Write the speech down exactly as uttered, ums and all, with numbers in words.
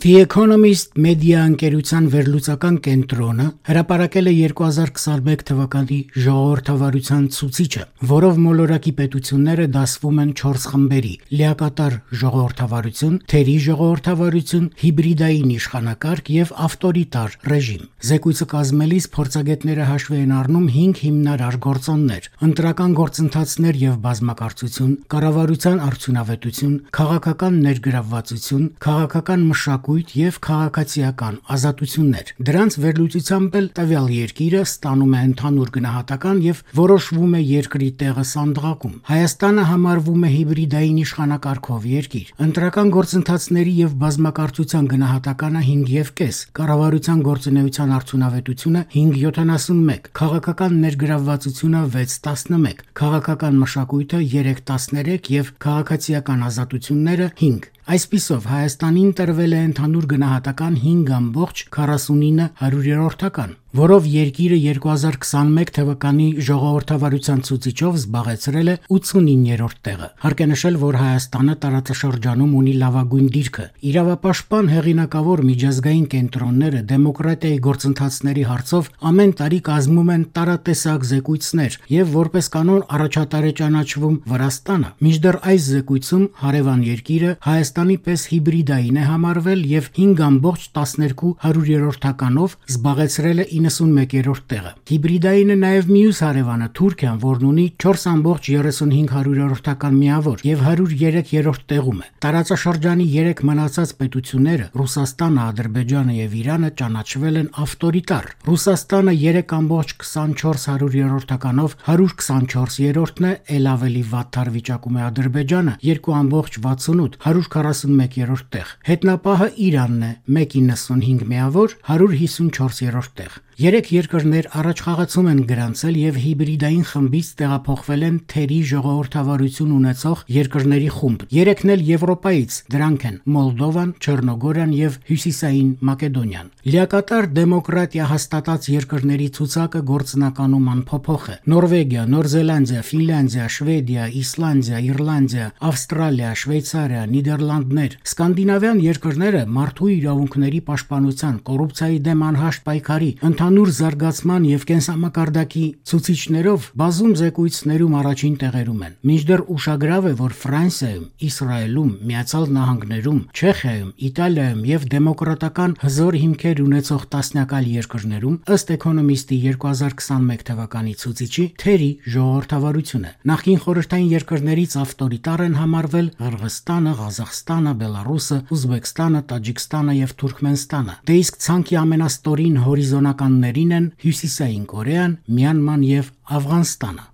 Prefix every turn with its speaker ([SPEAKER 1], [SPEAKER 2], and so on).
[SPEAKER 1] The Economist մեդիա ընկերության վերլուծական կենտրոնը հրապարակել է երկու հազար քսաներկու թվականի ժողովրդավարության ցուցիչը, որով մոլորակի պետությունները դասվում են չորս խմբերի՝ լիակատար ժողովրդավարություն, թերի ժողովրդավարություն, հիբրիդային իշխանակարգ եւ ավտորիտար ռեժիմ։ Զեկույցը կազմելիս փորձագետները հաշվի են առնում հինգ հիմնարար գործոններ՝ ընտրական գործընթացներ եւ բազմակարծություն, կառավարության արդյունավետություն, քաղաքական ներգրավվածություն, քաղաքական մշակույթ եւ քաղաքացիական ազատություններ։ Դրանց վերլուծությամբ էլ տվյալ երկիրը ստանում է ընդհանուր գնահատական եւ որոշվում է երկրի տեղը սանդղակում։ Հայաստանը համարվում է հիբրիդային իշխանակարգով երկիր։ Ընտրական գործընթացների եւ բազմակարծության գնահատականը հինգ եւ կես, կառավարության գործունեության արդյունավետությունը հինգ յոթանասունմեկ, քաղաքական ներգրավվածությունը վեց տասնմեկ, քաղաքական մշակույթը երեք տասներեք եւ քաղաքացիական ազատությունները հինգ։ Այսպիսով Հայաստանին տրվել է ընդհանուր գնահատական հինգ ամբողջ քառասունինը հարյուրերորդական, որով երկիրը երկու հազար քսաներկու թվականի ժողովրդավարության ցուցիչով զբաղեցրել է ութսունիններորդ տեղը։ Հարկ է նշել, որ Հայաստանը տարածաշրջանում ունի լավագույն դիրքը։ Իրավապաշտպան հեղինակավոր միջազգային կենտրոնները դեմոկրատիայի գործընթացների հարցով ամեն տարի կազմում են տարատեսակ զեկույցներ եւ որպես կանոն առաջատար է ճանաչվում Վրաստանը։ Մինչդեռ այս զեկույցում հարևան երկիրը Հայաստանի պես հիբրիդային է համարվել եւ հինգ ամբողջ տասներկու հարյուրերորդականով զբաղեցրել է իննսունմեկերորդ տեղը։ Հիբրիդայինը նաեւ մյուս հարևանը Թուրքիան, որն ունի չորս ամբողջ երեսունհինգ հարյուրերորդական միավոր եւ հարյուր երեք երրորդ տեղում է։ Տարածաշրջանի երեք մնացած պետությունները՝ Ռուսաստանը, Ադրբեջանը եւ Իրանը ճանաչվել են ավտորիտար։ Ռուսաստանը երեք ամբողջ քսանչորս հարյուրերորդականով հարյուր քսանչորսերորդն է, ել ավելի վատթար վիճակում է Ադրբեջանը երկու ամբողջ վաթսունութ հարյուր քառասունմեկերորդ տեղ։ Հետնապահը Իրանն է մեկ իննսունհինգ միավոր հարյուր հիսունչորսերորդ տեղ։ Երեք երկրներ առաջ խաղացում են գրանցել եւ հիբրիդային խմբից տեղափոխվել են թերի ժողովրդավարություն ունեցող երկրների խումբ։ Երեքն էլ Եվրոպայից, դրանք են Մոլդովան, Չեռնոգորիան եւ Հյուսիսային Մակեդոնիան։ Լիակատար դեմոկրատիա հաստատած երկրների ցուցակը գործնականում անփոփոխ է։ Նորվեգիա, Նոր Զելանդիա, Ֆինլանդիա, Շվեդիա, Իսլանդիա, Իռլանդիա, Ավստրալիա, Շվեյցարիա, Նիդերլանդներ, սկանդինավյան երկրները մարդու իրավունքների պաշտպանության, կոռուպցիայի դեմ անհաշտ պայքարի, ընդհանուր զարգացման եւ կենսամակարդակի ցուցիչներով բազում զեկույցներում առաջին տեղերում են։ Մինչդեռ ուշագրավ է, որ Ֆրանսիայում, Իսրայելում, Միացյալ Նահանգներում, Չեխիայում, Իտալիայում եւ դեմոկրատական հզոր հիմքեր ունեցող տասնյակ այլ երկրներում ըստ Economist-ի երկու հազար քսաներկու թվականի ցուցիչի թերի ժողովրդավարություն է։ Նախկին խորհրդային երկրներից ավտորիտար են համարվել Ղրղստանը, Ղազախստանը, Բելարուսը, Ուզբեկստանը, Տաջիկստանը եւ Թուրքմենստանը։ Դե իսկ ցանկի ամենաստորին հորիզոնականներին են Հյուսիսային Կորեան, Մյանման եւ Աֆղանստանը։